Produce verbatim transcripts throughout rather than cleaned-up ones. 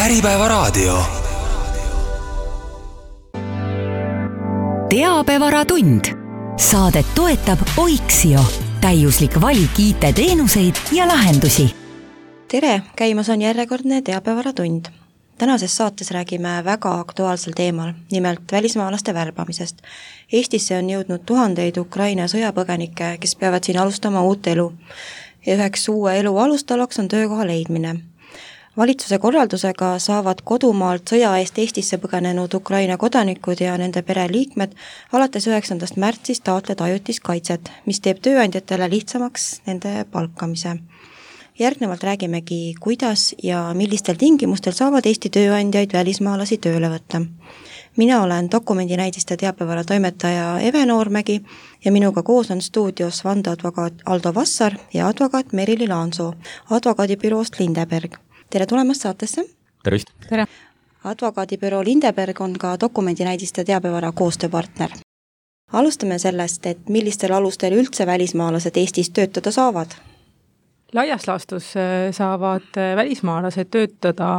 Äripäevaraadio. Teabevaratund. Saadet toetab Oiksio. Täiuslik valik I T-teenuseid ja lahendusi. Tere, käimas on järjekordne Teabevaratund. Tänases saates räägime väga aktuaalsel teemal, nimelt välismaalaste värbamisest. Eestisse on jõudnud tuhandeid Ukraina sõjapõgenikke, kes peavad siin alustama uut elu. Ja üheks uue elu alustalaks on töökoha leidmine. Valitsuse korraldusega saavad kodumaalt sõja eest Eestisse põgenenud Ukraina kodanikud ja nende pereliikmed alates üheksandast märtsist taotleda ajutist kaitset, mis teeb tööandjatele lihtsamaks nende palkamise. Järgnevalt räägimegi, kuidas ja millistel tingimustel saavad Eesti tööandjaid välismaalasi tööle võtta. Mina olen dokumendinäidiste teabevara toimetaja Eve Noormägi ja minuga koos on stuudios vandeadvokaat Aldo Vassar ja advokaat Merili Laansoo advokaadibüroost Lindeberg. Tere tulemast saatesse. Tervist. Tere. Advokaadibüroo Lindeberg on ka dokumendinäidiste teabevara koostööpartner. Alustame sellest, et millistel alustel üldse välismaalased Eestis töötada saavad? Laias laastus saavad välismaalased töötada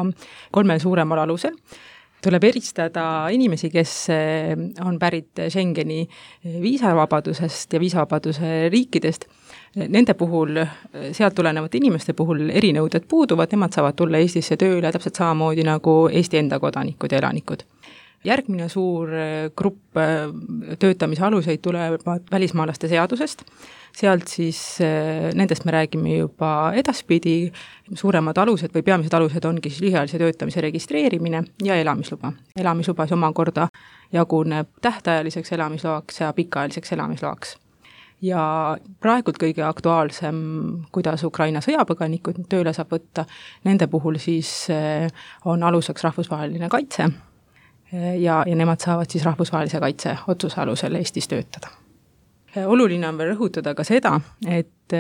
kolmel suuremal alusel. Tuleb eristada inimesi, kes on pärit Schengeni viisavabadusest ja viisavabaduse riikidest. Nende puhul, sealt tulenevate inimeste puhul erinõuded puuduvad, nemad saavad tulla Eestisse tööle täpselt samamoodi nagu Eesti enda kodanikud ja elanikud. Järgmine suur grupp töötamise aluseid tulevad välismaalaste seadusest. Sealt siis nendest me räägime juba edaspidi. Suuremad alused või peamised alused ongi siis lühiajalise töötamise registreerimine ja elamisluba. Elamisluba omakorda jaguneb tähtajaliseks elamisloaks ja pikaajaliseks elamisloaks. Ja praegult kõige aktuaalsem, kuidas Ukraina sõjapõganikud tööle saab võtta, nende puhul siis on aluseks rahvusvaheline kaitse ja, ja nemad saavad siis rahvusvahelise kaitse otsuse alusel Eestis töötada. Oluline on veel rõhutada ka seda, et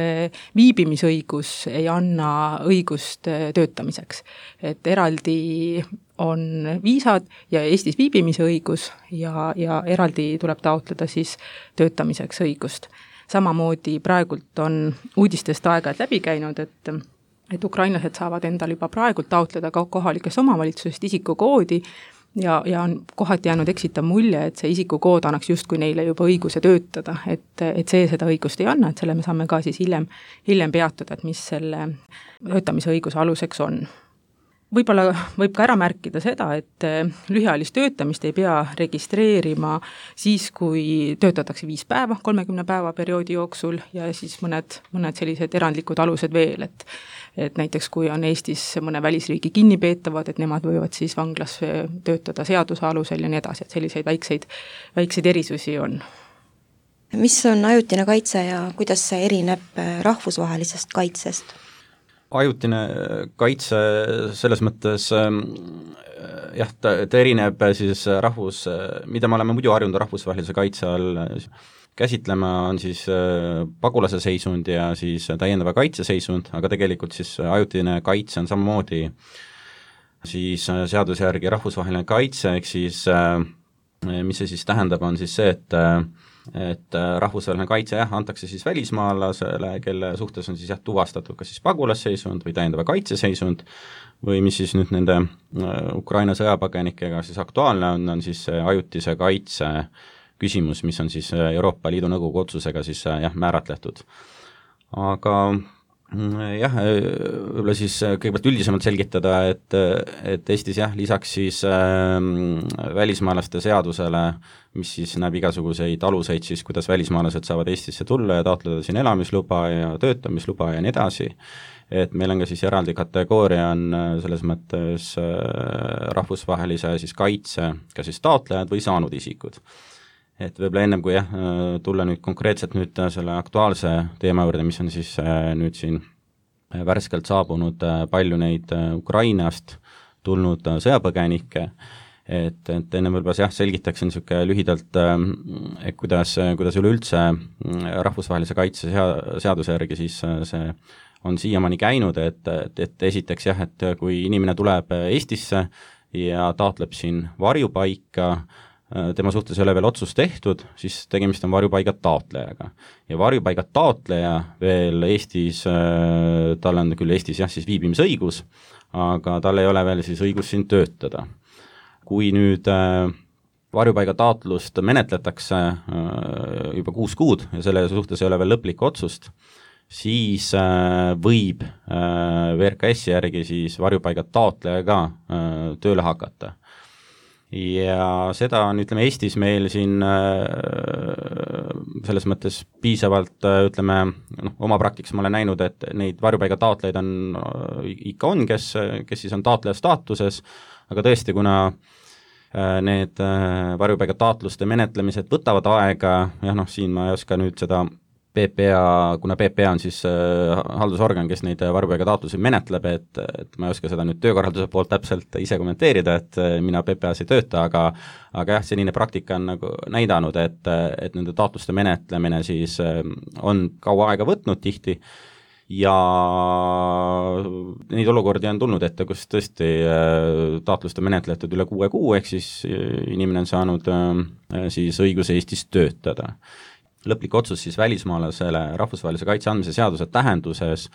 viibimisõigus ei anna õigust töötamiseks. Et eraldi on viisad ja Eestis viibimise õigus ja, ja eraldi tuleb taotleda siis töötamiseks õigust. Samamoodi praegult on uudistest aeg-ajalt läbi käinud, et, et ukrainlased saavad endal juba praegult taotleda ka kohalikest omavalitsusest isikukoodi ja, ja on kohati jäänud eksitav mulje, et see isikukood annaks justkui neile juba õiguse töötada, et, et see seda õigust ei anna, et selle me saame ka siis hiljem, hiljem peatuda, et mis selle töötamise õiguse aluseks on. Võib-olla võib ka ära märkida seda, et lühiajalist töötamist ei pea registreerima siis, kui töötatakse viis päeva, kolmekümne päeva perioodi jooksul ja siis mõned, mõned sellised erandlikud alused veel, et, et näiteks kui on Eestis mõne välisriigi kinnipeetavad, et nemad võivad siis vanglas töötada seaduse alusel ja nii edasi, et selliseid väikseid, väikseid erisusi on. Mis on ajutine kaitse ja kuidas see erineb rahvusvahelisest kaitsest? Ajutine kaitse selles mõttes jah, ta, ta erineb siis rahvus, mida me oleme muidu harjunud rahvusvahelise kaitse all käsitlema, on siis pagulase seisund ja siis täiendava kaitse seisund, aga tegelikult siis ajutine kaitse on samamoodi siis seaduse järgi rahvusvaheline kaitse, ehk siis mis see siis tähendab, on siis see, et et rahvusvaheline kaitse jah, antakse siis välismaalasele, kelle suhtes on siis jah, tuvastatud kas siis pagulasseisund või täiendava kaitseseisund või mis siis nüüd nende Ukraina sõjapõgenikega siis aktuaalne on, on siis ajutise kaitse küsimus, mis on siis Euroopa Liidu nõukogu otsusega siis jah, määratletud. Aga jah, võib-olla siis kõigepealt üldisemalt selgitada, et, et Eestis jah, lisaks siis äh, välismaalaste seadusele, mis siis näeb igasuguseid aluseid siis, kuidas välismaalased saavad Eestisse tulla ja taotleda siin elamisluba ja töötamisluba ja nii edasi, et meil on ka siis eraldi kategooria on selles mõttes äh, rahvusvahelise siis kaitse, ka siis taotlejad või saanud isikud. Et võib-olla ennem kui jah, tulla nüüd konkreetselt nüüd selle aktuaalse teema juurde, mis on siis nüüd siin värskelt saabunud palju neid Ukrainast tulnud sõjapõgenikke, et, et enne võib-olla jah, selgitaksin niisugune lühidalt, et kuidas, kuidas üleüldse rahvusvahelise kaitse seaduse järgi siis see on siiamaani käinud, et, et, et esiteks jah, et kui inimene tuleb Eestisse ja taotleb siin varjupaika, tema suhtes ei ole veel otsust tehtud, siis tegemist on varjupaiga taotlejaga. Ja varjupaiga taotleja veel Eestis, tal on küll Eestis jah, siis viibimisõigus, aga tal ei ole veel siis õigus siin töötada. Kui nüüd varjupaiga taotlust menetletakse juba kuus kuud ja selle suhtes ei ole veel lõplikku otsust, siis võib V R K S järgi siis varjupaiga taotleja ka tööle hakata. Ja seda on, ütleme, Eestis meil siin selles mõttes piisavalt, ütleme, noh, oma praktikas ma olen näinud, et neid varjupaiga taotlejaid on, ikka on, kes, kes siis on taotleja staatuses, aga tõesti, kuna need varjupaiga taotluste menetlemised võtavad aega, jah, noh, siin ma ei oska nüüd seda P P A, kuna P P A on siis äh, haldusorgan, kes neid varjupaiga taotlusi menetleb, et, et ma ei oska seda nüüd töökorralduse poolt täpselt ise kommenteerida, et mina P P A-s ei tööta, aga aga jah, senine praktika on nagu näidanud, et, et nende taotluste menetlemine siis äh, on kaua aega võtnud tihti ja neid olukordi on tulnud ette, kus tõesti äh, taotluste menetletud üle kuue kuu, ehk siis inimene on saanud äh, siis õiguse Eestis töötada. Lõplik otsus siis välismaalasele rahvusvahelise kaitse andmise seaduse tähenduses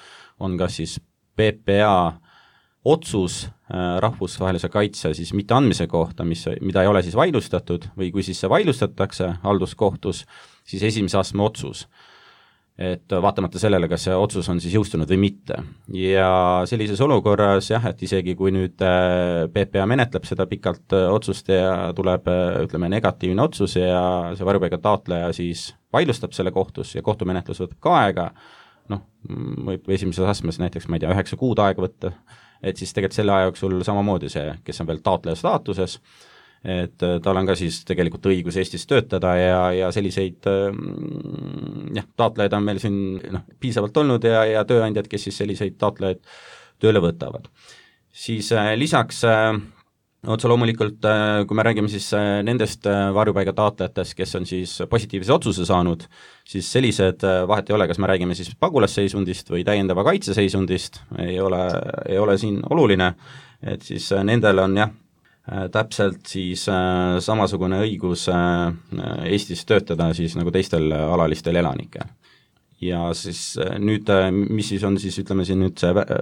on kas siis P P A otsus rahvusvahelise kaitse siis mitte andmise kohta, mis, mida ei ole siis vaidlustatud, või kui siis see vaidlustatakse halduskohtus, siis esimese astme otsus. Et vaatamata sellele, kas see otsus on siis jõustunud või mitte. Ja sellises olukorras jah, et isegi kui nüüd P P A menetleb seda pikalt otsust ja tuleb, ütleme, negatiivne otsus ja see varjupaiga taotleja siis vaidlustab selle kohtus ja kohtumenetlus võtab ka aega, noh, võib esimeses astmes näiteks, ma ei tea, üheksa kuud aega võtta, et siis tegelikult selle aja jooksul samamoodi see, kes on veel taotleja staatuses, et tal on ka siis tegelikult õigus Eestis töötada ja, ja selliseid jah, taotlejaid on meil siin noh, piisavalt olnud ja, ja tööandjad, kes siis selliseid taotlejaid tööle võtavad. Siis äh, lisaks äh, otse loomulikult, äh, kui me räägime siis äh, nendest äh, varjupaiga taotlejatest, kes on siis positiivse otsuse saanud, siis sellised äh, vahet ei ole, kas me räägime siis pagulasseisundist või täiendava kaitseseisundist, ei ole, ei ole siin oluline, et siis äh, nendel on jah, täpselt siis äh, samasugune õigus äh, Eestis töötada siis nagu teistel alalistel elanikel. Ja siis äh, nüüd, äh, mis siis on siis, ütleme siin nüüd see äh,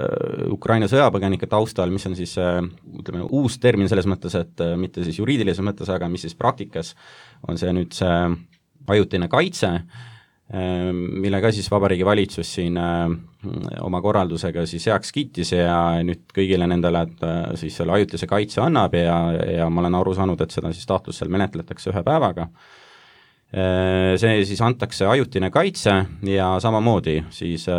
Ukraina sõjapõgenike taustal, mis on siis äh, ütleme uus termin selles mõttes, et äh, mitte siis juriidilises mõttes, aga mis siis praktikas on see nüüd see ajutine kaitse, millega siis Vabariigi Valitsus siin oma korraldusega siis heaks kiitis ja nüüd kõigile nendele, et siis selle ajutise kaitse annab ja, ja ma olen aru saanud, et seda siis taotlus seal menetletakse ühe päevaga. See siis antakse ajutine kaitse ja samamoodi siis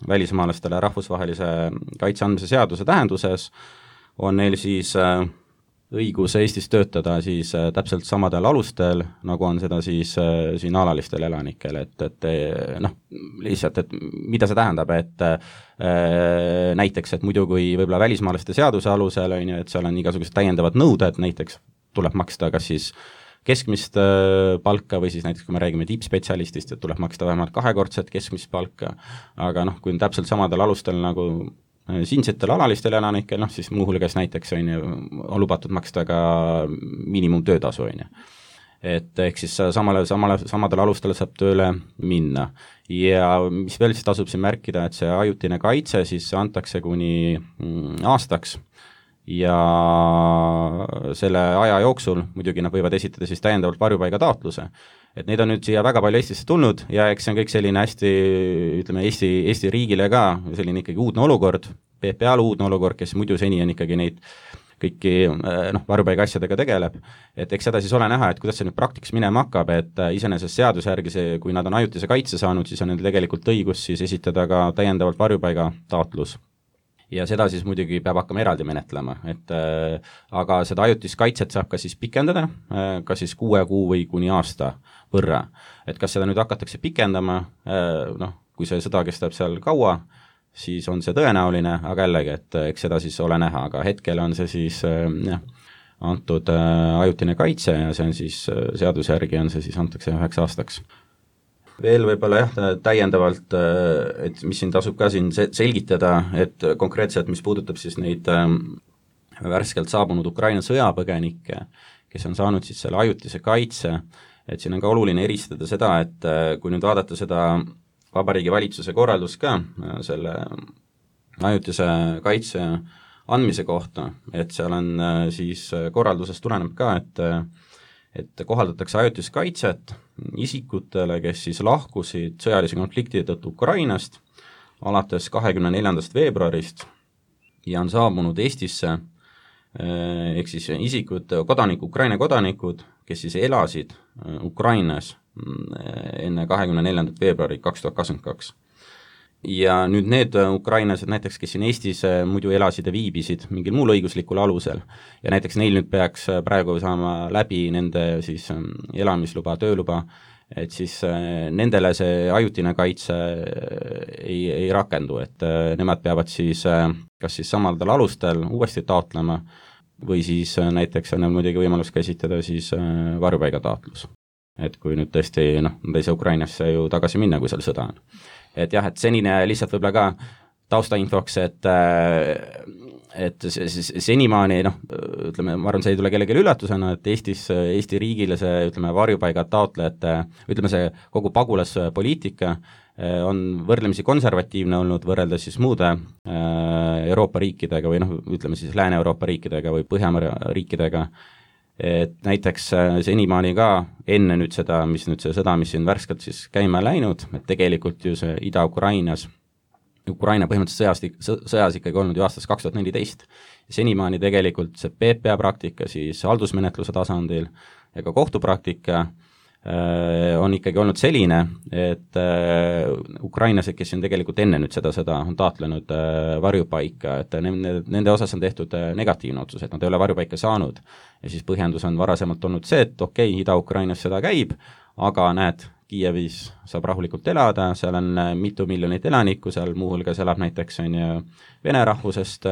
välismaalastele rahvusvahelise kaitse andmise seaduse tähenduses on neil siis õigus Eestis töötada siis äh, täpselt samadel alustel, nagu on seda siis äh, siin alalistel elanikel, et, et noh, lihtsalt, et mida see tähendab, et äh, näiteks, et muidu kui võib-olla välismaalaste seaduse alusel on ju, et seal on igasugused täiendavad nõuded, näiteks tuleb maksta kas siis keskmist äh, palka või siis näiteks, kui me räägime tippspetsialistist, et tuleb maksta vähemalt kahekordset keskmist palka, aga noh, kui on täpselt samadel alustel nagu siinsetel alalistel elanikel, noh siis muuhulgas näiteks on ju, on lubatud maksta ka miinimumtöötasu, on ju. Et ehk siis samale, samale, samadel alustel saab tööle minna. Ja mis veel siis tasub siin märkida, et see ajutine kaitse siis antakse kuni aastaks ja selle aja jooksul muidugi nad võivad esitada siis täiendavalt varjupaiga taotluse. Et neid on nüüd siia väga palju Eestisse tulnud ja eks see on kõik selline hästi, ütleme, Eesti, Eesti riigile ka selline ikkagi uudne olukord, P P A-l uudne olukord, kes muidu seni on ikkagi neid kõiki noh, varjupaiga asjadega tegeleb, et eks seda siis ole näha, et kuidas see nüüd praktikas minema hakkab, et iseenesest seaduse järgi see, kui nad on ajutise kaitse saanud, siis on neil tegelikult õigus siis esitada ka täiendavalt varjupaiga taotlus. Ja seda siis muidugi peab hakkama eraldi menetlema, et äh, aga seda ajutist kaitset saab ka siis pikendada, äh, ka siis kuue kuu või kuni aasta võrra. Et kas seda nüüd hakatakse pikendama, äh, noh, kui see sõda kestab seal kaua, siis on see tõenäoline, aga jällegi, et eks seda siis ole näha, aga hetkel on see siis äh, jah, antud äh, ajutine kaitse ja see on siis äh, seaduse järgi on see siis antakse üheks aastaks. Veel võib-olla jah, täiendavalt, et mis siin tasub ka siin selgitada, et konkreetselt, mis puudutab siis neid värskelt saabunud Ukraina sõjapõgenikke, kes on saanud siis selle ajutise kaitse, et siin on ka oluline eristada seda, et kui nüüd vaadata seda Vabariigi Valitsuse korraldust ka selle ajutise kaitse andmise kohta, et seal on siis korraldusest tuleneb ka, et et kohaldatakse ajutist kaitset isikutele, kes siis lahkusid sõjalise konflikti tõttu Ukrainast alates kahekümne neljandast veebruarist ja on saabunud Eestisse, ehk siis isikud, kodanikud, Ukraina kodanikud, kes siis elasid Ukrainas enne kahekümne neljandat veebruari kaks tuhat kakskümmend kaks. Ja nüüd need ukrainlased näiteks, kes siin Eestis muidu elasid ja viibisid mingil muul õiguslikul alusel ja näiteks neil nüüd peaks praegu saama läbi nende siis elamisluba, tööluba, et siis nendele see ajutine kaitse ei, ei rakendu, et nemad peavad siis kas siis samadel alustel uuesti taotlema või siis näiteks on neil muidugi võimalus käsitleda siis varjupaigataotlus. Et kui nüüd tõesti, noh, nad ei saa Ukrainasse ju tagasi minna, kui seal sõda on. Et jah, et senine lihtsalt võib-olla ka taustainfoks, et et senimaani, noh, ütleme, ma arvan, see ei tule kellelegi üllatusena, et Eestis, Eesti riigile see, ütleme, varjupaiga taotlejate, ütleme, see kogu pagulaspoliitika on võrdlemisi konservatiivne olnud võrreldes siis muude Euroopa riikidega või noh, ütleme siis Lääne-Euroopa riikidega või Põhjamere riikidega, et näiteks senimaani ka enne nüüd seda, mis nüüd see sõda, mis siin värskelt siis käima läinud, et tegelikult ju see Ida-Ukrainas, Ukraina põhimõtteliselt sõjas, sõjas ikkagi olnud ju aastast kaks tuhat neliteist. Senimaani tegelikult see P P A praktika siis haldusmenetluse tasandil ja ka kohtupraktika on ikkagi olnud selline, et ukrainlased, kes on tegelikult enne nüüd seda, seda on taotlenud varjupaika, et nende, nende osas on tehtud negatiivne otsus, et nad ei ole varjupaika saanud. Ja siis põhjendus on varasemalt olnud see, et okei, okay, Ida-Ukrainas seda käib, aga näed, Kiievis saab rahulikult elada, seal on mitu miljonit elanikku, seal muuhulgas elab näiteks on ju vene rahvusest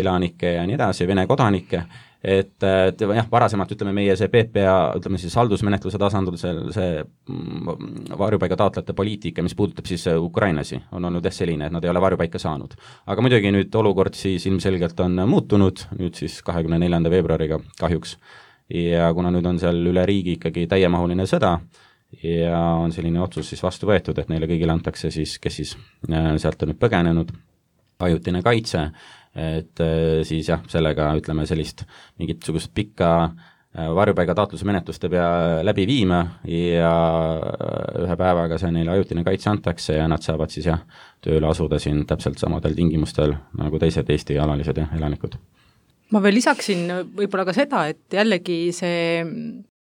elanikke ja nii edasi, vene kodanikke, et, et jah, varasemalt ütleme meie see P P A, ütleme siis haldusmenetluse tasandil see, see varjupaiga taotlejate poliitika, mis puudutab siis ukrainlasi, on olnud jah selline, et nad ei ole varjupaika saanud. Aga muidugi nüüd olukord siis ilmselgelt on muutunud, nüüd siis kahekümne neljanda veebruariga kahjuks, ja kuna nüüd on seal üle riigi ikkagi täiemahuline sõda, ja on selline otsus siis vastu võetud, et neile kõigile antakse siis, kes siis sealt on nüüd põgenenud, ajutine kaitse, et siis jah, sellega ütleme sellist mingit sugust pikka varjupaiga taotluse menetluste pea läbi viima ja ühe päevaga see neile ajutine kaitse antakse ja nad saavad siis jah, tööle asuda siin täpselt samadel tingimustel nagu teised Eesti alalised ja elanikud. Ma veel lisaksin võib-olla ka seda, et jällegi see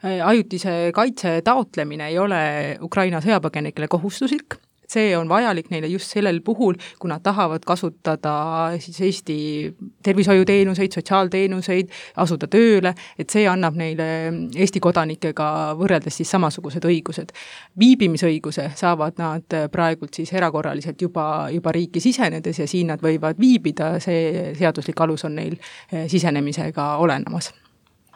ajutise kaitse taotlemine ei ole Ukraina sõjapõgenikele kohustuslik. See on vajalik neile just sellel puhul, kui nad tahavad kasutada siis Eesti tervishoiuteenuseid, sotsiaalteenuseid, asuda tööle, et see annab neile Eesti kodanikega võrreldes siis samasugused õigused. Viibimisõiguse saavad nad praegult siis erakorraliselt juba, juba riiki sisenedes ja siin nad võivad viibida, see seaduslik alus on neil sisenemisega olenemas.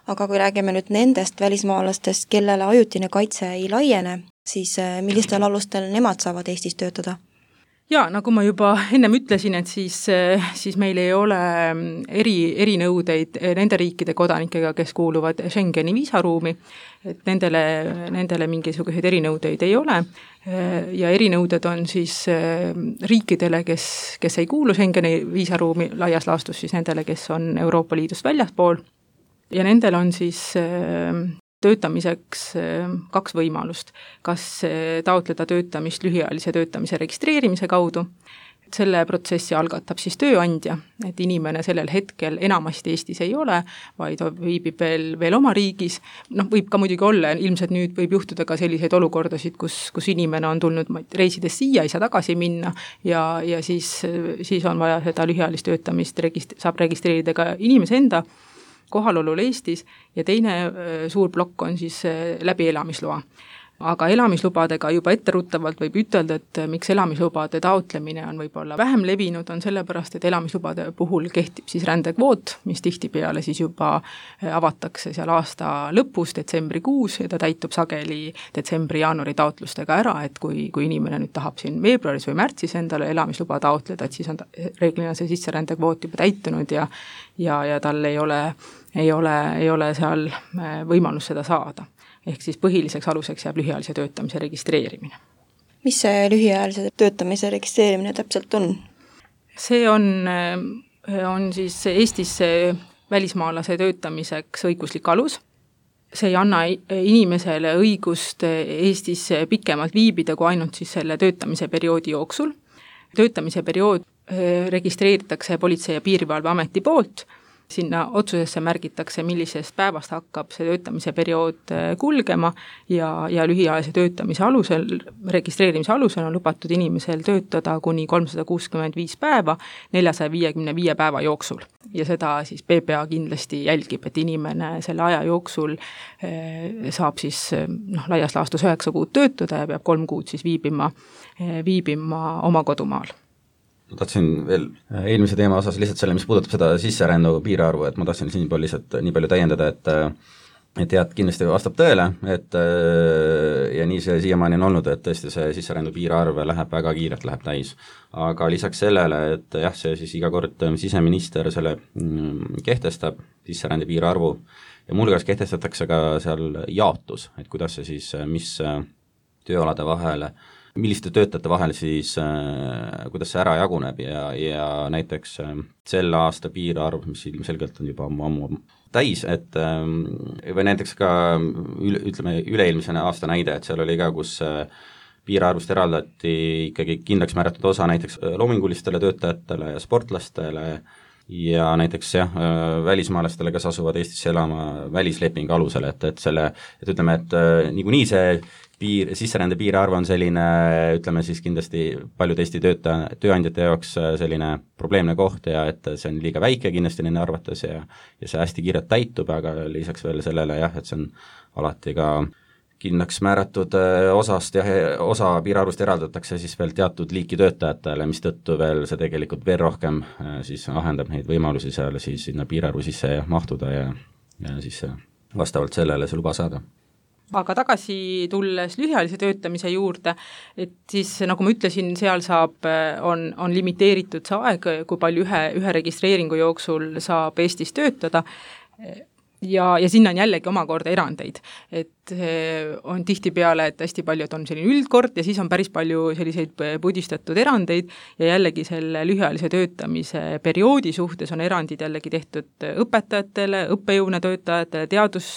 Aga kui räägime nüüd nendest välismaalastest, kellele ajutine kaitse ei laiene, siis millistel alustel nemad saavad Eestis töötada? Ja, nagu ma juba ennem ütlesin, et siis, siis meil ei ole eri, erinõudeid nende riikide kodanikega, kes kuuluvad Schengeni viisaruumi, et nendele, nendele mingisuguseid erinõudeid ei ole ja erinõuded on siis riikidele, kes, kes ei kuulu Schengeni viisaruumi laias laastus, siis nendele, kes on Euroopa Liidust väljaspool ja nendel on siis töötamiseks kaks võimalust. Kas taotleda töötamist lühiajalise töötamise registreerimise kaudu. Selle protsessi algatab siis tööandja, et inimene sellel hetkel enamasti Eestis ei ole, vaid viibib veel, veel oma riigis. Noh, võib ka muidugi olla, ilmselt nüüd võib juhtuda ka selliseid olukordasid, kus, kus inimene on tulnud reisides siia, ei saa tagasi minna ja, ja siis, siis on vaja seda lühiajalist töötamist, regist- saab registreerida ka inimese enda kohalolul Eestis ja teine suur plokk on siis läbi elamisloa. aga elamislubadega juba etteruttavalt võib ütelda, et miks elamislubade taotlemine on võib-olla vähem levinud, on sellepärast, et elamislubade puhul kehtib siis rändekvoot, mis tihtipeale siis juba avatakse seal aasta lõpus, detsembrikuus, ja ta täitub sageli detsembri-jaanuari taotlustega ära, et kui, kui inimene nüüd tahab siin veebruaris või märtsis endale elamisluba taotleda, et siis on ta, reeglina see sisserändekvoot juba täitunud ja, ja, ja tal ei ole, ei ole, ei ole seal võimalus seda saada. Ehk siis põhiliseks aluseks jääb lühiajalise töötamise registreerimine. Mis see lühiajalise töötamise registreerimine täpselt on? See on, on siis Eestis välismaalase töötamiseks õiguslik alus. See ei anna inimesele õigust Eestis pikemalt viibida kui ainult siis selle töötamise perioodi jooksul. Töötamise periood registreeritakse Politsei- ja Piirivalveameti poolt. Sinna otsusesse märgitakse, millisest päevast hakkab see töötamise periood kulgema ja, ja lühiajalise töötamise alusel, registreerimise alusel on lubatud inimesel töötada kuni kolmsada kuuskümmend viis päeva neljasaja viiekümne viie päeva jooksul. Ja seda siis P P A kindlasti jälgib, et inimene selle aja jooksul saab siis noh, laias laastus üheksa kuud töötada ja peab kolm kuud siis viibima, viibima oma kodumaal. Ma tahtsin veel eelmise teema osas lihtsalt selle, mis puudutab seda sisserändu piirarvu, et ma tahtsin siin palju lihtsalt nii palju täiendada, et et jah, kindlasti vastab tõele, et ja nii see siiamaani on olnud, et tõesti see sisserändu piirarv läheb väga kiirelt, läheb täis. Aga lisaks sellele, et jah, see siis iga kord siseminister selle kehtestab sisserände piirarvu ja mulgas kehtestatakse ka seal jaotus, et kuidas see siis, mis tööalade vahele milliste töötajate vahel siis, äh, kuidas see ära jaguneb ja, ja näiteks äh, selle aasta piirarv, mis ilmselgelt on juba ammu täis, et äh, või näiteks ka üle, ütleme üleilmsene aasta näide, et seal oli ka, kus äh, piirarvust eraldati ikkagi kindlaks määratud osa näiteks loomingulistele töötajatele ja sportlastele ja näiteks jah, välismaalastele, kes asuvad Eestisse elama välislepingu alusel, et, et selle, et ütleme, et äh, niikuinii see piir, sisserände piirarv on selline, ütleme siis kindlasti paljud Eesti töötaja, tööandjate jaoks selline probleemne koht ja et see on liiga väike kindlasti nende arvates ja, ja see hästi kiirelt täitub, aga lisaks veel sellele jah, et see on alati ka kindlaks määratud osast ja osa piirarvust eraldatakse siis veel teatud liiki töötajatele, mis tõttu veel see tegelikult veel rohkem siis ahendab neid võimalusi seal siis sinna piirarvu sisse mahtuda ja, ja siis vastavalt sellele see luba saada. Aga tagasi tulles lühiajalise töötamise juurde, et siis nagu ma ütlesin, seal saab, on, on limiteeritud see aeg, kui palju ühe, ühe registreeringu jooksul saab Eestis töötada ja, ja sinna on jällegi omakorda erandeid, et on tihtipeale, et hästi palju, et on selline üldkord ja siis on päris palju selliseid pudistatud erandeid ja jällegi selle lühiajalise töötamise perioodi suhtes on erandid jällegi tehtud õpetajatele, õppejõuna töötajatele, teadus,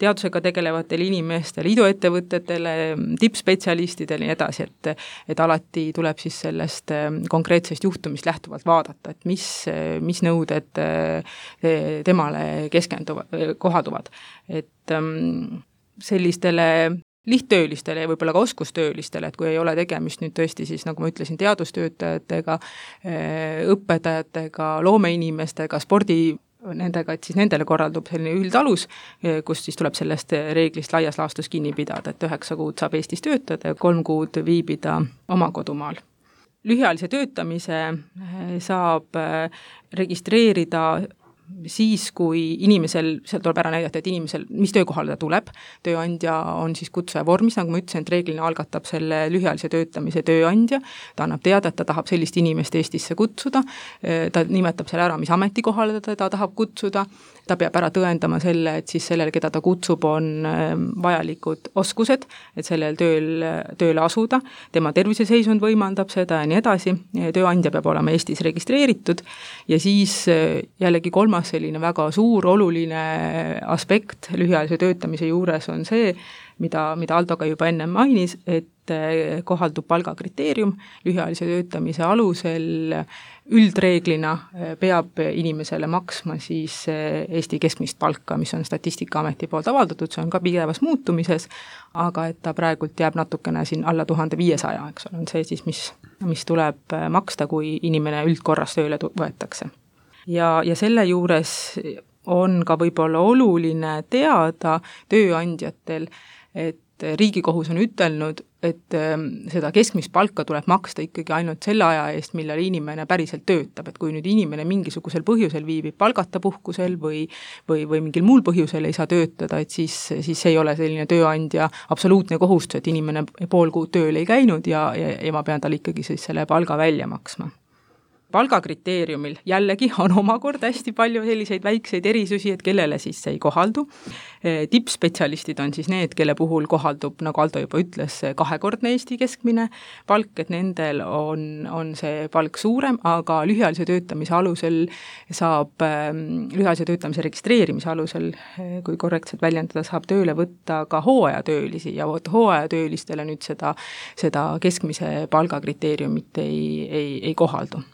teadusega tegelevatele inimestele, iduettevõtetele, tippspetsialistidele ja nii edasi, et, et alati tuleb siis sellest konkreetsest juhtumist lähtuvalt vaadata, et mis, mis nõuded temale keskenduvad, kohalduvad, et sellistele lihttöölistele ja võib-olla ka oskustöölistele, et kui ei ole tegemist nüüd tõesti siis, nagu ma ütlesin, teadustöötajatega, õpetajatega, loomeinimestega, spordi nendega, et siis nendele korraldub selline üldalus, kus siis tuleb sellest reeglist laias laastus kinni pidada, et üheksa kuud saab Eestis töötada ja kolm kuud viibida oma kodumaal. Lühiajalise töötamise saab registreerida siis, kui inimesel, seal tuleb ära näidata, et inimesel, mis töökohale ta tuleb, tööandja on siis kutsuja vormis, nagu ma ütlesin, et reeglina algatab selle lühiajalise töötamise tööandja, ta annab teada, et ta tahab sellist inimest Eestisse kutsuda, ta nimetab selle ära, mis ametikohale ta, ta tahab kutsuda, ta peab ära tõendama selle, et siis sellele, keda ta kutsub, on vajalikud oskused, et sellel tööl, tööle asuda, tema terviseseisund võimaldab seda ja nii edasi, tööandja peab olema Eestis registreeritud ja siis jällegi kolmas selline väga suur oluline aspekt lühiajalise töötamise juures on see, mida, mida Aldo ka juba enne mainis, et kohaldub palgakriteerium, lühiajalise töötamise alusel üldreeglina peab inimesele maksma siis Eesti keskmist palka, mis on Statistikaameti poolt avaldatud, see on ka pidevas muutumises, aga et ta praegult jääb natukene siin alla tuhande viiesaja, eks on see siis, mis, mis tuleb maksta, kui inimene üldkorras tööle võetakse. Ja, ja selle juures on ka võib-olla oluline teada tööandjatel, et Riigikohus on ütelnud, et seda keskmist palka tuleb maksta ikkagi ainult selle aja eest, millal inimene päriselt töötab, et kui nüüd inimene mingisugusel põhjusel viibib palgata puhkusel või, või, või mingil muul põhjusel ei saa töötada, et siis, siis ei ole selline tööandja absoluutne kohustus, et inimene pool kuud tööl ei käinud ja, ja, ja ma pean tal ikkagi siis selle palga välja maksma. Palgakriteeriumil jällegi on omakorda hästi palju selliseid väikseid erisusi, et kellele siis see ei kohaldu. Tippspetsialistid on siis need, kelle puhul kohaldub, nagu Aldo juba ütles, kahekordne Eesti keskmine palk, et nendel on, on see palk suurem, aga lühiajalise töötamise alusel saab, lühiajalise töötamise registreerimise alusel, kui korrektselt väljendada, saab tööle võtta ka hooajatöölisi ja hooajatöölistele nüüd seda, seda keskmise palgakriteeriumit ei, ei, ei kohaldu.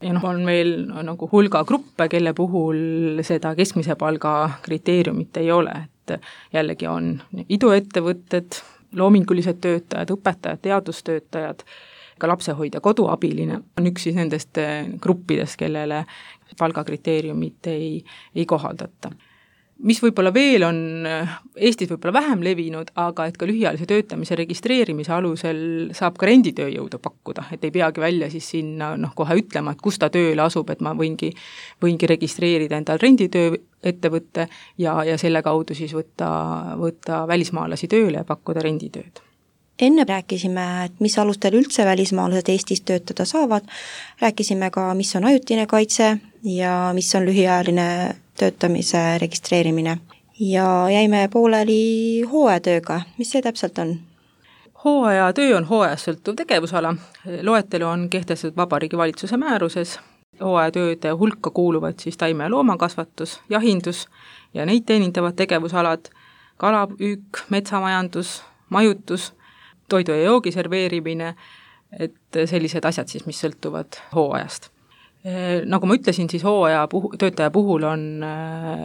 Ja noh, on meil nagu hulga gruppe, kelle puhul seda keskmise palga kriteeriumit ei ole, et jällegi on iduettevõtted, loomingulised töötajad, õpetajad, teadustöötajad, ka lapsehoidja koduabiline on üks siis nendest gruppidest, kellele palgakriteeriumit ei, ei kohaldata. Mis võib-olla veel on Eestis võib-olla vähem levinud, aga et ka lühiajalise töötamise registreerimise alusel saab ka renditööjõudu pakkuda, et ei peagi välja siis sinna noh, kohe ütlema, et kus ta tööle asub, et ma võingi, võingi registreerida endal renditöö ettevõtte ja, ja selle kaudu siis võtta, võtta välismaalasi tööle ja pakkuda renditööd. Enne rääkisime, et mis alustel üldse välismaalased Eestis töötada saavad, rääkisime ka, mis on ajutine kaitse ja mis on lühiajaline töötamise registreerimine. Ja jäime pooleli hooajatööga. Mis see täpselt on? Hooajatöö on hooajast sõltuv tegevusala. Loetelu on kehtestatud Vabariigi Valitsuse määruses. Hooajatööde hulka kuuluvad siis taime- ja loomakasvatus, jahindus ja neid teenindavad tegevusalad, kalapüük, metsamajandus, majutus, toidu ja joogi serveerimine, et sellised asjad siis, mis sõltuvad hooajast. Nagu ma ütlesin, siis hooaja puhu, töötaja puhul on,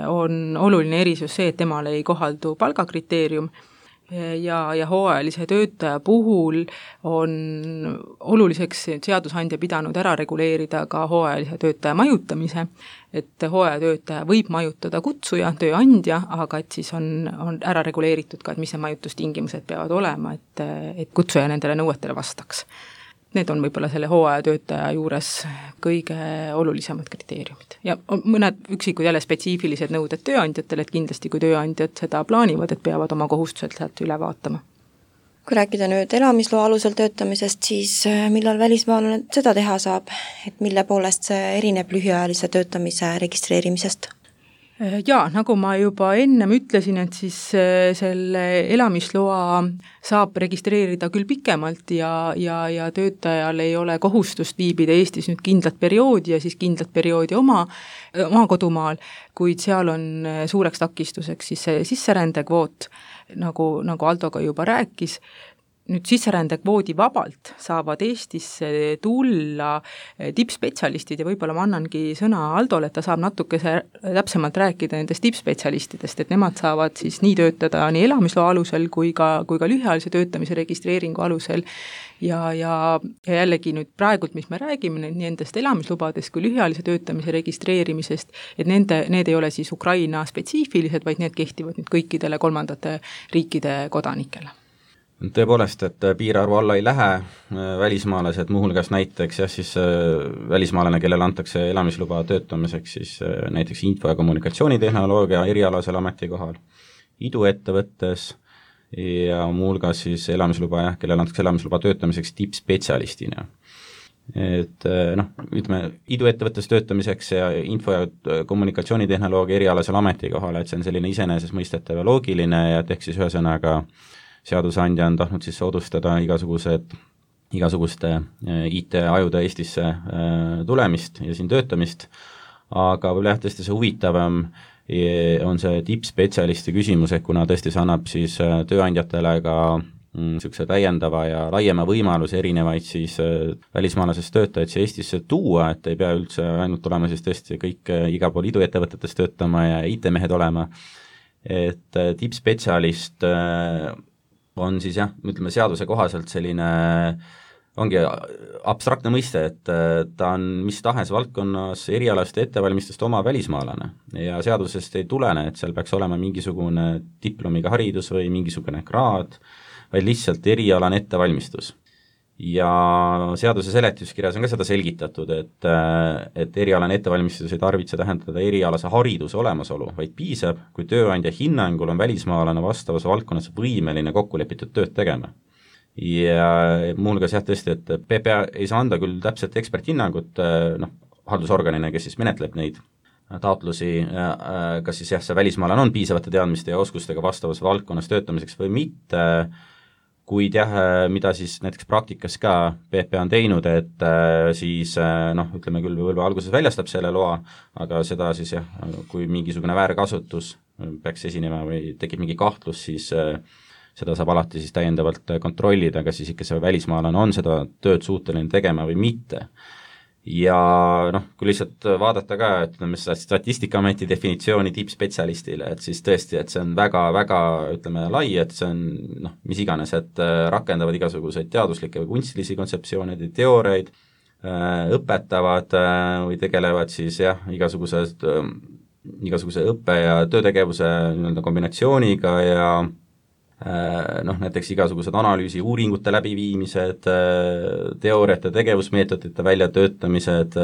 on oluline erisus see, et temale ei kohaldu palgakriteerium ja, ja hooajalise töötaja puhul on oluliseks seadusandja pidanud ära reguleerida ka hooajalise töötaja majutamise, et hooajatöötaja võib majutada kutsuja, tööandja, aga et siis on, on ära reguleeritud ka, et mis see majutustingimused peavad olema, et, et kutsuja nendele nõuetele vastaks. Need on võib-olla selle hooajatöötaja juures kõige olulisemad kriteeriumid. Ja mõned üksikud jälle spetsiifilised nõuded tööandjatele, et kindlasti kui tööandjad seda plaanivad, et peavad oma kohustused sealt üle vaatama. Kui rääkida nüüd elamisloa alusel töötamisest, siis millal välismaalane seda teha saab, et mille poolest see erineb lühiajalise töötamise registreerimisest? Jaa, nagu ma juba ennem ütlesin, et siis selle elamisloa saab registreerida küll pikemalt ja, ja, ja töötajal ei ole kohustust viibida Eestis nüüd kindlat perioodi ja siis kindlat perioodi oma, oma kodumaal, kuid seal on suureks takistuseks siis see sisserändekvoot, nagu, nagu Aldo ka juba rääkis. Nüüd sisserändekvoodi vabalt saavad Eestisse tulla tippspetsialistid ja võib-olla ma annangi sõna Aldole, et ta saab natuke täpsemalt rääkida nendest tippspetsialistidest, et nemad saavad siis nii töötada nii elamisloa alusel kui ka, kui ka lühiajalise töötamise registreeringu alusel ja, ja, ja jällegi nüüd praegult, mis me räägime nendest elamislubadest kui lühiajalise töötamise registreerimisest, et nende, need ei ole siis Ukraina spetsiifilised, vaid need kehtivad nüüd kõikidele kolmandate riikide kodanikele. Tõepoolest, et piirarvu alla ei lähe välismaalased, muuhulgas näiteks jah, siis välismaalane, kellele antakse elamisluba töötamiseks, siis näiteks info- ja kommunikatsioonitehnoloogia erialasel ametikohal, iduettevõttes ja muuhulgas siis elamisluba jah, kellele antakse elamisluba töötamiseks tippspetsialistina. Et noh, ütleme, iduettevõttes töötamiseks ja info- ja kommunikatsioonitehnoloogia erialasel ametikohal, et see on selline iseenesestmõistetav ja loogiline ja et ehk siis ühesõnaga seadusandja on tahtnud siis soodustada igasugused, igasuguste I T-ajude Eestisse tulemist ja siin töötamist, aga võib-olla jah, tõesti see huvitavam on see tippspetsialisti küsimus, et kuna tõesti see annab siis tööandjatele ka niisuguse täiendava ja laiema võimaluse erinevaid siis välismaalasest töötajaid siia Eestisse tuua, et ei pea üldse ainult olema siis tõesti kõik iga pool iduettevõtetes töötama ja I T-mehed olema, et tippspetsialist on siis jah, ütleme seaduse kohaselt selline ongi abstraktne mõiste, et ta on mis tahes valdkonnas erialast ettevalmistust oma välismaalane ja seadusest ei tulene, et seal peaks olema mingisugune diplomiga haridus või mingisugune kraad, vaid lihtsalt erialane ettevalmistus. Ja seaduse seletuskirjas on ka seda selgitatud, et, et erialane ettevalmistus ei tarvitse tähendada erialase hariduse olemasolu, vaid piisab, kui tööandja hinnangul on välismaalane vastavas valdkonnas võimeline kokkulepitud tööd tegema. Ja muuhulgas jah tõesti, et P P A ei saa anda küll täpselt eksperthinnangut noh, haldusorganina, kes siis menetleb neid taotlusi, kas siis jah, see välismaalane on piisavate teadmiste ja oskustega vastavas valdkonnas töötamiseks või mitte, kuid jah, mida siis näiteks praktikas ka P P A on teinud, et siis noh, ütleme küll võib-olla alguses väljastab selle loa, aga seda siis jah, kui mingisugune väärkasutus peaks esinema või tekib mingi kahtlus, siis seda saab alati siis täiendavalt kontrollida, kas siis ikka see välismaalane on seda tööd suuteline tegema või mitte. Ja noh, kui lihtsalt vaadata ka, et ütleme, Statistikaameti definitsiooni tippspetsialistile, et siis tõesti, et see on väga-väga, ütleme, lai, et see on noh, mis iganes, et rakendavad igasuguseid teaduslikke või kunstilisi kontseptsioonid ja teooriaid, õpetavad või tegelevad siis jah, igasugused, igasuguse õppe- ja töötegevuse nii-öelda kombinatsiooniga ja noh, näiteks igasugused analüüsi uuringute läbiviimised, teooriate, tegevusmeetodite väljatöötamised,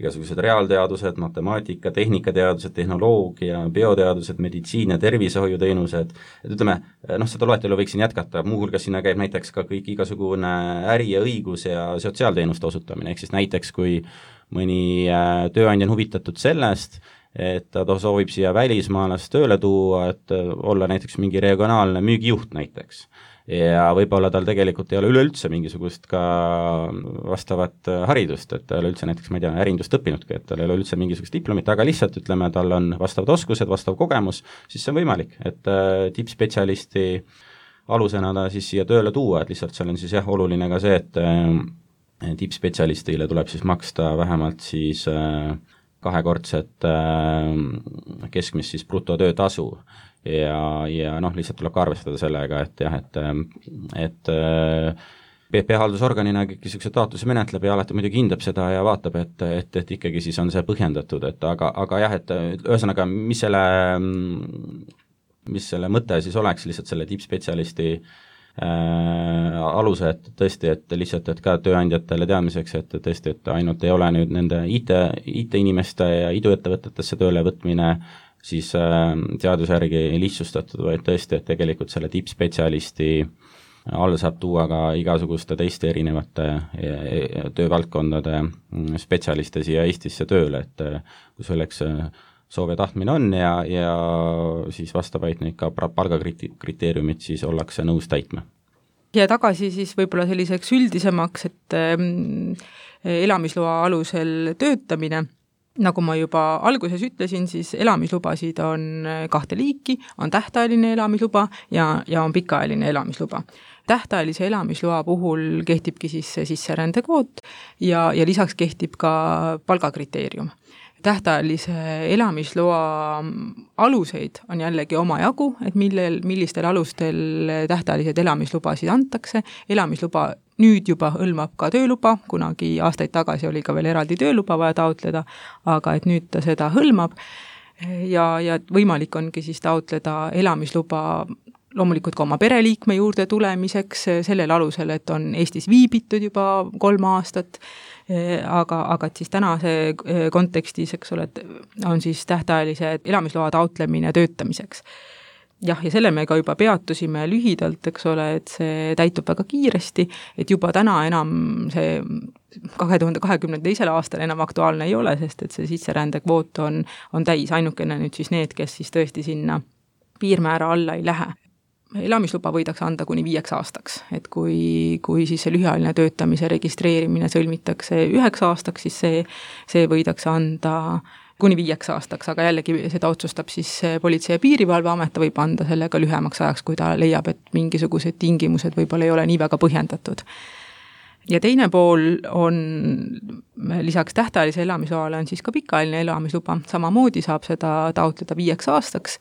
igasugused reaalteadused, matemaatika, tehnikateadused, tehnoloogia, bioteadused, meditsiin ja tervishoiuteenused, et ütleme, noh, seda loetelu võiksin jätkata, muuhulgas sinna käib näiteks ka kõik igasugune äri ja õigus ja sotsiaalteenuste osutamine, ehk siis näiteks kui mõni tööandja on huvitatud sellest, et ta soovib siia välismaalast tööle tuua, et olla näiteks mingi regionaalne müügijuht näiteks. Ja võib-olla tal tegelikult ei ole üleüldse mingisugust ka vastavat haridust, et ta ei ole üldse näiteks, ma ei tea, ärindust õppinudki, et tal ei ole üldse mingisugust diplomit, aga lihtsalt ütleme, tal on vastavad oskused, vastav kogemus, siis see on võimalik, et tippspetsialisti alusena ta siis siia tööle tuua, et lihtsalt seal on siis jah, oluline ka see, et tippspetsialistile tuleb siis maksta vähemalt siis kahekordset keskmist siis brutotöötasu ja, ja noh, lihtsalt tuleb ka arvestada sellega, et jah, et, et P P A haldusorganina kõik niisuguse taotluse menetleb ja alati muidugi hindab seda ja vaatab, et, et, et ikkagi siis on see põhjendatud, et aga, aga jah, et ühesõnaga, mis selle, mis selle mõte siis oleks lihtsalt selle tippspetsialisti Äh, aluse, et tõesti, et lihtsalt, et ka tööandjatele teadmiseks, et tõesti, et ainult ei ole nüüd nende I T, I T-inimeste ja iduettevõtetesse tööle võtmine siis äh, seaduse järgi lihtsustatud, vaid tõesti, et tegelikult selle tippspetsialisti all saab tuua ka igasuguste teiste erinevate töövaldkondade spetsialiste siia Eestisse tööle, et kui selleks soov ja tahtmine on ja, ja siis vastavaid neid ka palgakriteeriumid siis ollakse nõus täitma. Ja tagasi siis võib-olla selliseks üldisemaks, et elamisloa alusel töötamine, nagu ma juba alguses ütlesin, siis elamislubasid on kahte liiki, on tähtajaline elamisluba ja, ja on pikaajaline elamisluba. Tähtajalise elamisloa puhul kehtibki siis sisserändekvoot ja, ja lisaks kehtib ka palgakriteerium. Tähtajalise elamisloa aluseid on jällegi omajagu, et millel, millistel alustel tähtajalised elamislubasid antakse. Elamisluba nüüd juba hõlmab ka tööluba, kunagi aastaid tagasi oli ka veel eraldi tööluba vaja taotleda, aga et nüüd ta seda hõlmab ja, ja võimalik ongi siis taotleda elamisluba loomulikult ka oma pereliikme juurde tulemiseks sellel alusel, et on Eestis viibitud juba kolm aastat, aga, aga et siis tänase kontekstis, eks ole, on siis tähtajalise elamisloa taotlemine töötamiseks. Jah, ja selle me ka juba peatusime lühidalt, eks ole, et see täitub väga kiiresti, et juba täna enam see kahe tuhande kahekümne teisel aastal enam aktuaalne ei ole, sest et see sisserändekvoot on, on täis, ainukene nüüd siis need, kes siis tõesti sinna piirmäära alla ei lähe. Elamisluba võidakse anda kuni viieks aastaks, et kui, kui siis see lühiajaline töötamise registreerimine sõlmitakse üheks aastaks, siis see, see võidakse anda kuni viieks aastaks, aga jällegi seda otsustab siis Politsei- ja Piirivalveamet, ta võib anda selle ka lühemaks ajaks, kui ta leiab, et mingisugused tingimused võib-olla ei ole nii väga põhjendatud. ja teine pool on, lisaks tähtajalise elamisloale on siis ka pikaajaline elamisluba, samamoodi saab seda taotleda viieks aastaks,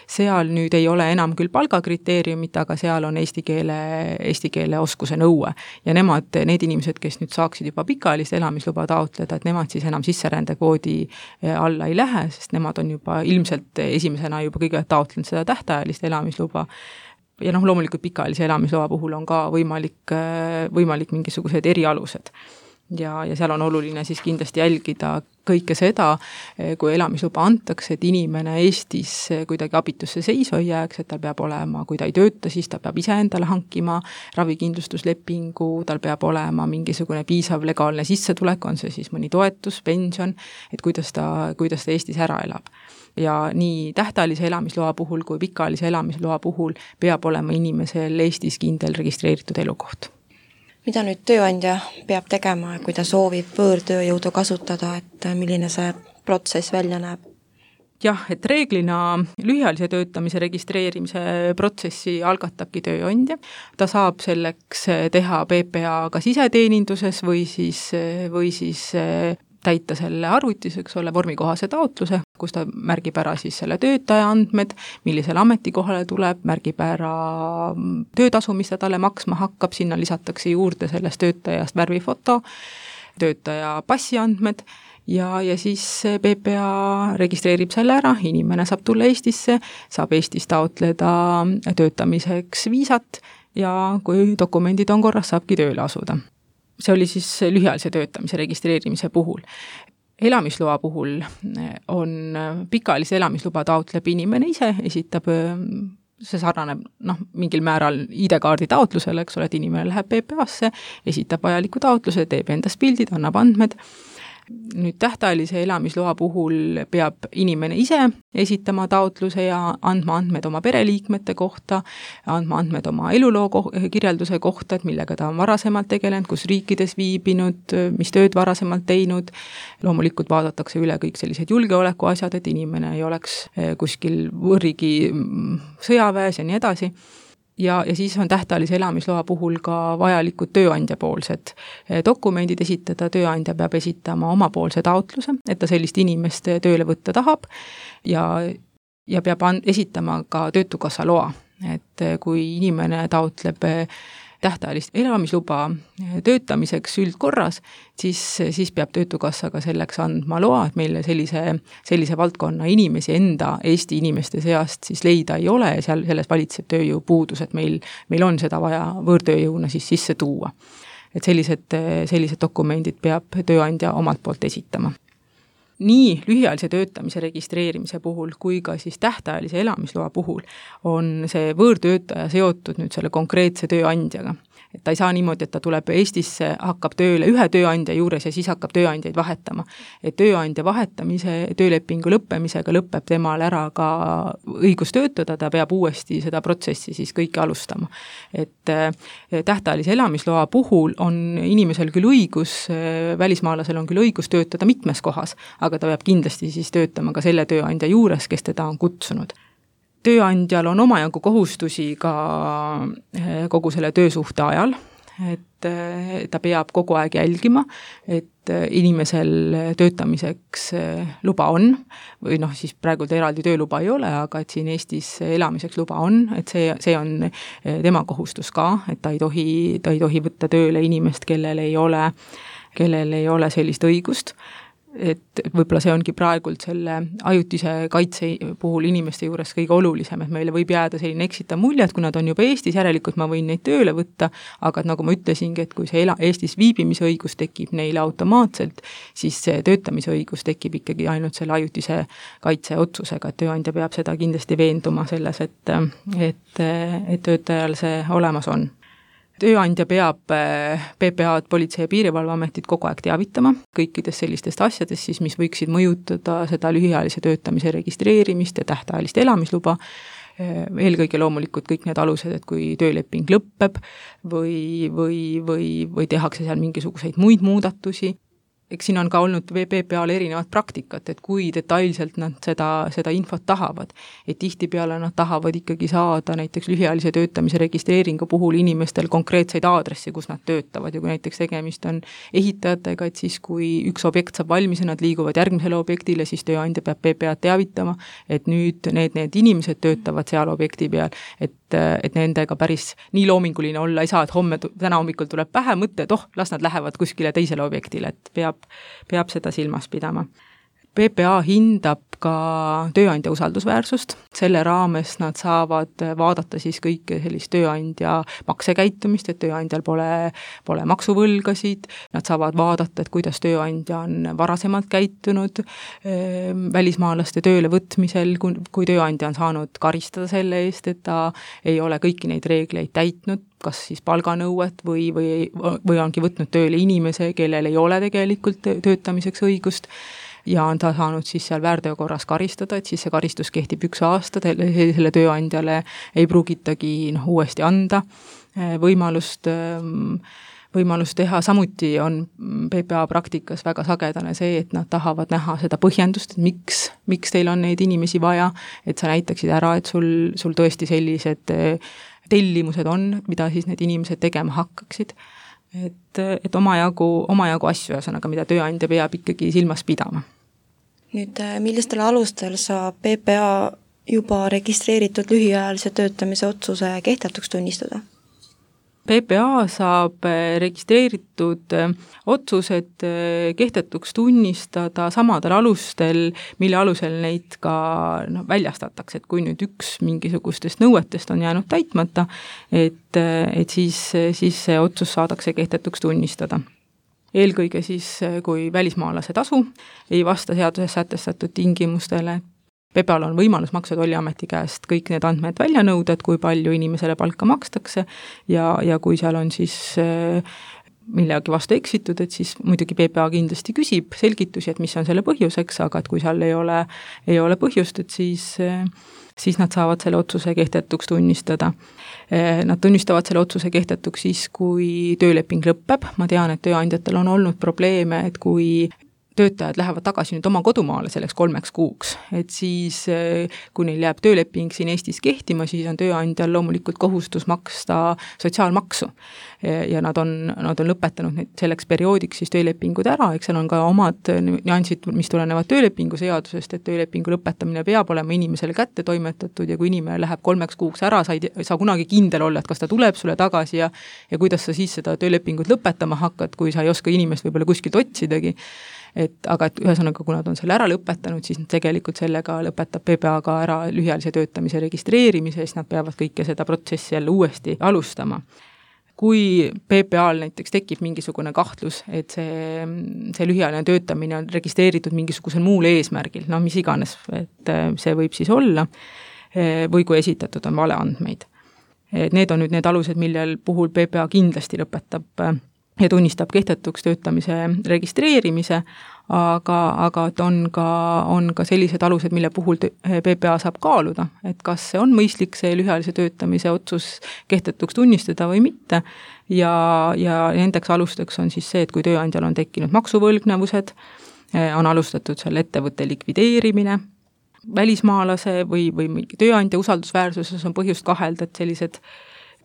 seal nüüd ei ole enam küll palgakriteeriumit, aga seal on eesti keele, eesti keele oskuse nõue ja nemad, need inimesed, kes nüüd saaksid juba pikaajalist elamisluba taotleda, et nemad siis enam sisserändekvoodi alla ei lähe, sest nemad on juba ilmselt esimesena juba kõige taotlenud seda tähtajalist elamisluba. Ja noh, loomulikult pikaajalise elamisloa puhul on ka võimalik, võimalik mingisugused erialused. Ja, ja seal on oluline siis kindlasti jälgida kõike seda, kui elamisluba antakse, et inimene Eestis kuidagi abitusse seisu ei jääks, et tal peab olema, kui ta ei tööta, siis ta peab ise endale hankima ravikindlustuslepingu, tal peab olema mingisugune piisav legaalne sissetulek, on see siis mõni toetus, pension, et kuidas ta, kuidas ta Eestis ära elab. Ja nii tähtajalise elamisloa puhul kui pikaajalise elamisloa puhul peab olema inimesel Eestis kindel registreeritud elukoht. Mida nüüd tööandja peab tegema, kui ta soovib võõrtööjõudu kasutada, et milline see protsess välja näeb? Jah, et reeglina lühiajalise töötamise registreerimise protsessi algatabki tööandja. Ta saab selleks teha P P A ka siseteeninduses või siis, või siis täita selle arvutis, eks ole, vormikohase taotluse, kus ta märgib ära siis selle töötaja andmed, millisele ametikohale tuleb, märgib ära töötasu, mis ta talle maksma hakkab, sinna lisatakse juurde sellest töötajast värvifoto, töötaja passiandmed ja, ja siis P P A registreerib selle ära, inimene saab tulla Eestisse, saab Eestis taotleda töötamiseks viisat ja kui dokumendid on korras, saabki tööle asuda. See oli siis lühiajalise töötamise registreerimise puhul. Elamisloa puhul on pikaajalise elamisluba taotleb inimene ise, esitab, see sarnaneb noh, mingil määral I D-kaardi taotlusele, eks ole, et inimene läheb P P A-sse, esitab vajaliku taotluse, teeb endast pildid, annab andmed. Nüüd tähtajalise elamisloa puhul peab inimene ise esitama taotluse ja andma andmed oma pereliikmete kohta, andma andmed oma eluloo ko- kirjelduse kohta, et millega ta on varasemalt tegelenud, kus riikides viibinud, mis tööd varasemalt teinud. Loomulikult vaadatakse üle kõik sellised julgeolekuasjad, et inimene ei oleks kuskil võrrigi sõjaväes ja nii edasi. Ja, ja siis on tähtajalise elamisloa puhul ka vajalikud tööandja poolsed dokumendid esitada, tööandja peab esitama omapoolse taotluse, et ta sellist inimest tööle võtta tahab ja, ja peab esitama ka töötukassa loa, et kui inimene taotleb tähtajalist elamisluba töötamiseks üldkorras, siis, siis peab töötukassa ka selleks andma loa, et meile sellise, sellise valdkonna inimesi enda Eesti inimeste seast siis leida ei ole ja seal selles valitseb tööjõupuudus, et meil, meil on seda vaja võõrtööjõuna siis sisse tuua. Et sellised, sellised dokumendid peab tööandja omalt poolt esitama. Nii lühiajalise töötamise registreerimise puhul kui ka siis tähtajalise elamisloa puhul on see võõrtöötaja seotud nüüd selle konkreetse tööandjaga. Et ta ei saa niimoodi, et ta tuleb Eestisse, hakkab tööle ühe tööandja juures ja siis hakkab tööandjaid vahetama. Et tööandja vahetamise, töölepingu lõppemisega lõpeb temal ära ka õigus töötada, ta peab uuesti seda protsessi siis kõike alustama. Et tähtajalise elamisloa puhul on inimesel küll õigus, välismaalasel on küll õigus töötada mitmes kohas, aga ta peab kindlasti siis töötama ka selle tööandja juures, kes teda on kutsunud. Tööandjal on omajagu kohustusi ka kogu selle töösuhte ajal, et ta peab kogu aeg jälgima, et inimesel töötamiseks luba on, või noh, siis praegu eraldi tööluba ei ole, aga et siin Eestis elamiseks luba on, et see, see on tema kohustus ka, et ta ei tohi, ta ei tohi võtta tööle inimest, kellel ei ole, kellel ei ole sellist õigust. Et võib-olla see ongi praegult selle ajutise kaitse puhul inimeste juures kõige olulisem, et meile võib jääda selline eksita mulje, et kui nad on juba Eestis, järelikult ma võin neid tööle võtta, aga nagu ma ütlesingi, et kui see Eestis viibimisõigus tekib neile automaatselt, siis see töötamisõigus tekib ikkagi ainult selle ajutise kaitse otsusega, et tööandja peab seda kindlasti veenduma selles, et, et, et töötajal see olemas on. Tööandja peab P P A-d, Politsei- ja Piirivalveametit kogu aeg teavitama kõikidest sellistest asjadest, siis, mis võiksid mõjutada seda lühiajalise töötamise registreerimist ja tähtajalist elamisluba. Eelkõige loomulikult kõik need alused, et kui tööleping lõpeb või, või, või, või tehakse seal mingisuguseid muid muudatusi. eks siin on ka olnud P P A-l erinevat praktikat, et kui detailselt nad seda, seda infot tahavad. Et tihtipeale nad tahavad ikkagi saada näiteks lühiajalise töötamise registreeringu puhul inimestel konkreetseid aadressi, kus nad töötavad ja kui näiteks tegemist on ehitajatega, et siis kui üks objekt saab valmis ja nad liiguvad järgmisele objektile, siis tööandja peab P P A-d teavitama, et nüüd need, need inimesed töötavad seal objekti peal, et, et nendega päris nii loominguline olla ei saa, et homme, täna hommikul tuleb pähe mõte, et oh, las nad lähevad kuskile teisele objektile, et peab peab seda silmas pidama. P P A hindab ka tööandja usaldusväärsust, selle raames nad saavad vaadata siis kõike sellist tööandja maksekäitumist, et tööandjal pole, pole maksuvõlgasid, nad saavad vaadata, et kuidas tööandja on varasemalt käitunud e, välismaalaste tööle võtmisel, kui, kui tööandja on saanud karistada selle eest, et ta ei ole kõiki neid reegleid täitnud, kas siis palganõuet või, või, või ongi võtnud tööle inimese, kellel ei ole tegelikult töötamiseks õigust ja on ta saanud siis seal väärteo korras karistada, et siis see karistus kehtib üks aasta, selle tööandjale ei pruugitagi noh, uuesti anda võimalust, võimalust teha, samuti on P P A praktikas väga sagedane see, et nad tahavad näha seda põhjendust, et miks, miks teil on neid inimesi vaja, et sa näitaksid ära, et sul, sul tõesti sellised tellimused on, mida siis need inimesed tegema hakkaksid. Et, et omajagu, omajagu asju, ühesõnaga, mida tööandja peab ikkagi silmas pidama. Nüüd, millistel alustel saab P P A juba registreeritud lühiajalise töötamise otsuse kehtetuks tunnistada? P P A saab registreeritud otsused kehtetuks tunnistada samadel alustel, mille alusel neid ka no, väljastatakse, et kui nüüd üks mingisugustest nõuetest on jäänud täitmata, et, et siis, siis see otsus saadakse kehtetuks tunnistada. Eelkõige siis, kui välismaalase tasu ei vasta seaduses sätestatud tingimustele, P P A-l on võimalus Maksu- ja Tolliameti käest kõik need andmed välja nõuda, et kui palju inimesele palka makstakse ja, ja kui seal on siis millegi vastu eksitud, et siis muidugi P P A kindlasti küsib selgitusi, et mis on selle põhjuseks, aga et kui seal ei ole, ei ole põhjust, et siis, siis nad saavad selle otsuse kehtetuks tunnistada. Nad tunnistavad selle otsuse kehtetuks siis, kui tööleping lõpeb. Ma tean, et tööandjatel on olnud probleeme, et kui töötajad lähevad tagasi nüüd oma kodumaale selleks kolmeks kuuks, et siis kui neil jääb tööleping siin Eestis kehtima, siis on tööandjal loomulikult kohustus maksta sotsiaalmaksu ja nad on, nad on lõpetanud nüüd selleks perioodiks siis töölepingud ära, eks seal on ka omad nüansid, mis tulenevad töölepingu seadusest, et töölepingu lõpetamine peab olema inimesele kätte toimetatud ja kui inimene läheb kolmeks kuuks ära, sa ei saa kunagi kindel olla, et kas ta tuleb sulle tagasi ja, ja kuidas sa siis seda töölepingut lõpetama hakkad, kui sa ei oska inimest võib-olla kuskilt otsidagi. Et, aga et ühesõnaga, kui nad on selle ära lõpetanud, siis tegelikult sellega lõpetab P P A ka ära lühiajalise töötamise registreerimise, siis nad peavad kõike seda protsessi jälle uuesti alustama. Kui P P A-l näiteks tekib mingisugune kahtlus, et see, see lühiajaline töötamine on registreeritud mingisugusel muul eesmärgil, no mis iganes, et see võib siis olla, või kui esitatud on valeandmeid. Need on nüüd need alused, millel puhul P P A kindlasti lõpetab ja tunnistab kehtetuks töötamise registreerimise, aga, aga on ka, on ka sellised alused, mille puhul P P A saab kaaluda, et kas see on mõistlik see lühiajalise töötamise otsus kehtetuks tunnistada või mitte ja, ja nendeks alusteks on siis see, et kui tööandjal on tekkinud maksuvõlgnevused, on alustatud selle ettevõtte likvideerimine, välismaalase või, või tööandja usaldusväärsuses on põhjust kahelda, et sellised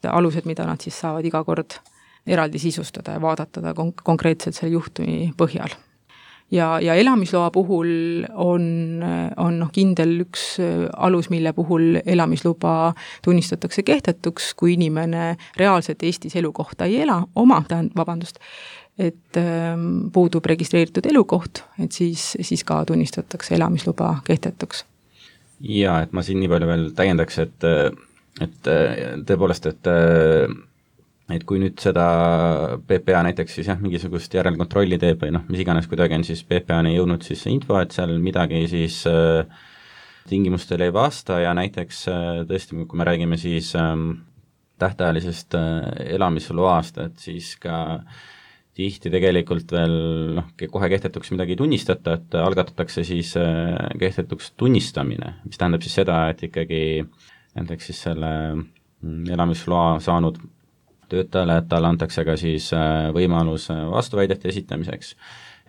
alused, mida nad siis saavad iga kord eraldi sisustada ja vaadatada konk- konkreetselt selle juhtumi põhjal. Ja, ja elamisloa puhul on, on noh, kindel üks alus, mille puhul elamisluba tunnistatakse kehtetuks, kui inimene reaalselt Eestis elukohta ei ela, oma, tähendab, vabandust, et ähm, puudub registreeritud elukoht, et siis, siis ka tunnistatakse elamisluba kehtetuks. Ja, et ma siin nii palju veel täiendaks, et, et tõepoolest, et et kui nüüd seda P P A näiteks siis jah, mingisugust järelkontrolli teeb või noh, mis iganes kuidagi on siis P P A-ni jõudnud siis see info, et seal midagi siis äh, tingimustele ei vasta ja näiteks äh, tõesti, kui me räägime siis äh, tähtajalisest äh, elamisloast, et siis ka tihti tegelikult veel noh, kohe kehtetuks midagi ei tunnistata, et algatatakse siis äh, kehtetuks tunnistamine, mis tähendab siis seda, et ikkagi näiteks siis selle elamisloa saanud töötajale, et talle antakse ka siis võimalus vastuväidete esitamiseks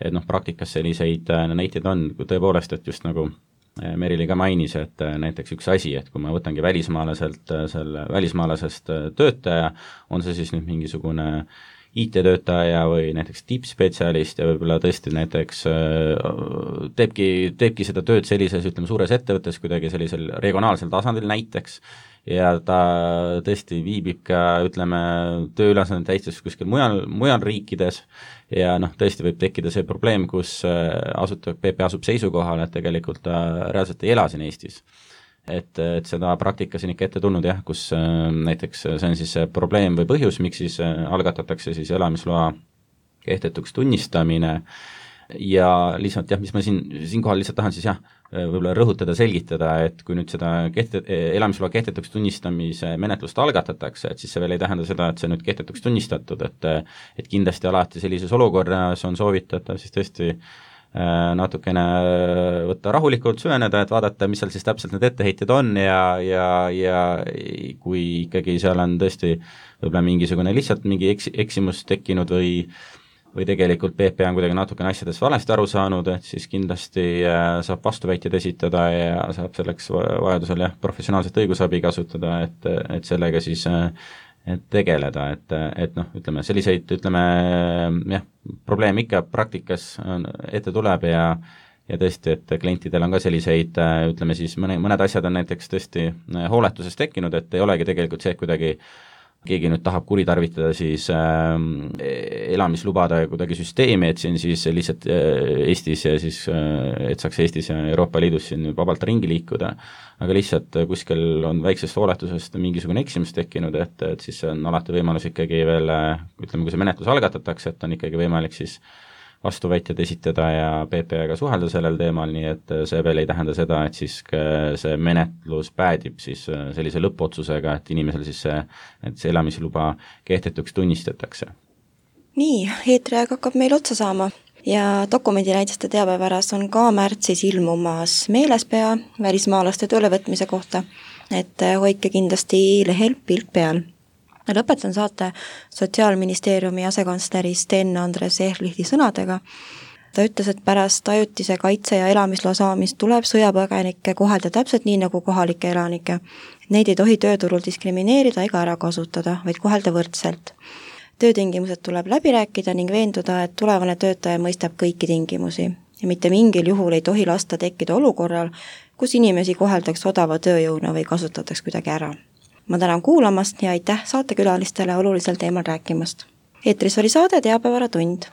et noh, praktikas selliseid näiteid on tõepoolest, et just nagu Merili ka mainis, et näiteks üks asi, et kui ma võtangi välismaalaselt, selle välismaalasest töötaja, on see siis nüüd mingisugune I T-töötaja või näiteks tippspetsialist ja võib-olla tõesti näiteks teebki, teebki seda tööd sellises, ütleme, suures ettevõttes kuidagi sellisel regionaalsel tasandil näiteks, ja ta tõesti viibib ka, ütleme, tööülesande täites kuskil mujal, mujal riikides ja noh, tõesti võib tekkida see probleem, kus asutab, P P asub seisukohal, et tegelikult ta reaalselt ei ela siin Eestis. Et, et seda praktikas on ikka ette tulnud jah, kus näiteks see on siis see probleem või põhjus, miks siis algatatakse siis elamisloa kehtetuks tunnistamine ja lihtsalt jah, mis ma siin, siinkohal lihtsalt tahan siis jah, võib-olla rõhutada, selgitada, et kui nüüd seda kehte, elamisloa kehtetuks tunnistamise menetlust algatatakse, et siis see veel ei tähenda seda, et see nüüd kehtetuks tunnistatud, et et kindlasti alati sellises olukorras on soovitatav siis tõesti natukene võtta rahulikult, süveneda, et vaadata, mis seal siis täpselt need etteheited on ja, ja, ja kui ikkagi seal on tõesti võib-olla mingisugune lihtsalt mingi eks, eksimus tekkinud või või tegelikult P P on kuidagi natukene asjadest valesti aru saanud, et siis kindlasti saab vastuväiteid esitada ja saab selleks vajadusel jah, professionaalset õigusabi kasutada, et, et sellega siis et tegeleda, et, et noh, ütleme selliseid, ütleme jah, probleem ikka praktikas ette tuleb ja ja tõesti, et klientidel on ka selliseid, ütleme siis mõne, mõned asjad on näiteks tõesti hooletuses tekkinud, et ei olegi tegelikult see, et kuidagi keegi nüüd tahab kuritarvitada siis äh, elamislubada kuidagi süsteemi, et siin siis lihtsalt äh, Eestis ja siis äh, et saaks Eestis ja Euroopa Liidus siin vabalt ringi liikuda, aga lihtsalt kuskil on väiksest hooletusest mingisugune eksimus tekkinud, et, et siis on alati võimalus ikkagi veel, ütleme, kui see menetlus algatatakse, et on ikkagi võimalik siis vastuväitjad esitada ja P P-ga suhelda sellel teemal, nii et see veel ei tähenda seda, et siis see menetlus päädib siis sellise lõppotsusega, et inimesel siis see, et see elamisluba kehtetuks tunnistatakse. Nii, eetriaeg hakkab meil otsa saama ja dokumendinäidiste teabevaras on ka märtsis ilmumas meelespea välismaalaste töölevõtmise kohta, et hoidke kindlasti lehel pilk peal. Lõpetan saate Sotsiaalministeeriumi asekantsleri Sten Andres Ehlihti sõnadega. Ta ütles, et pärast ajutise kaitse ja elamisloa saamist tuleb sõjapõgenikke kohelda täpselt nii nagu kohalikke elanikke. Neid ei tohi tööturul diskrimineerida ega ära kasutada, vaid kohelda võrdselt. Töötingimused tuleb läbi rääkida ning veenduda, et tulevane töötaja mõistab kõiki tingimusi ja mitte mingil juhul ei tohi lasta tekkida olukorral, kus inimesi koheldaks odava tööjõuna või kasutataks kuidagi ära. Ma tänan kuulamast ja aitäh saatekülalistele olulisel teemal rääkimast. Eetris oli saade Teabevaratund.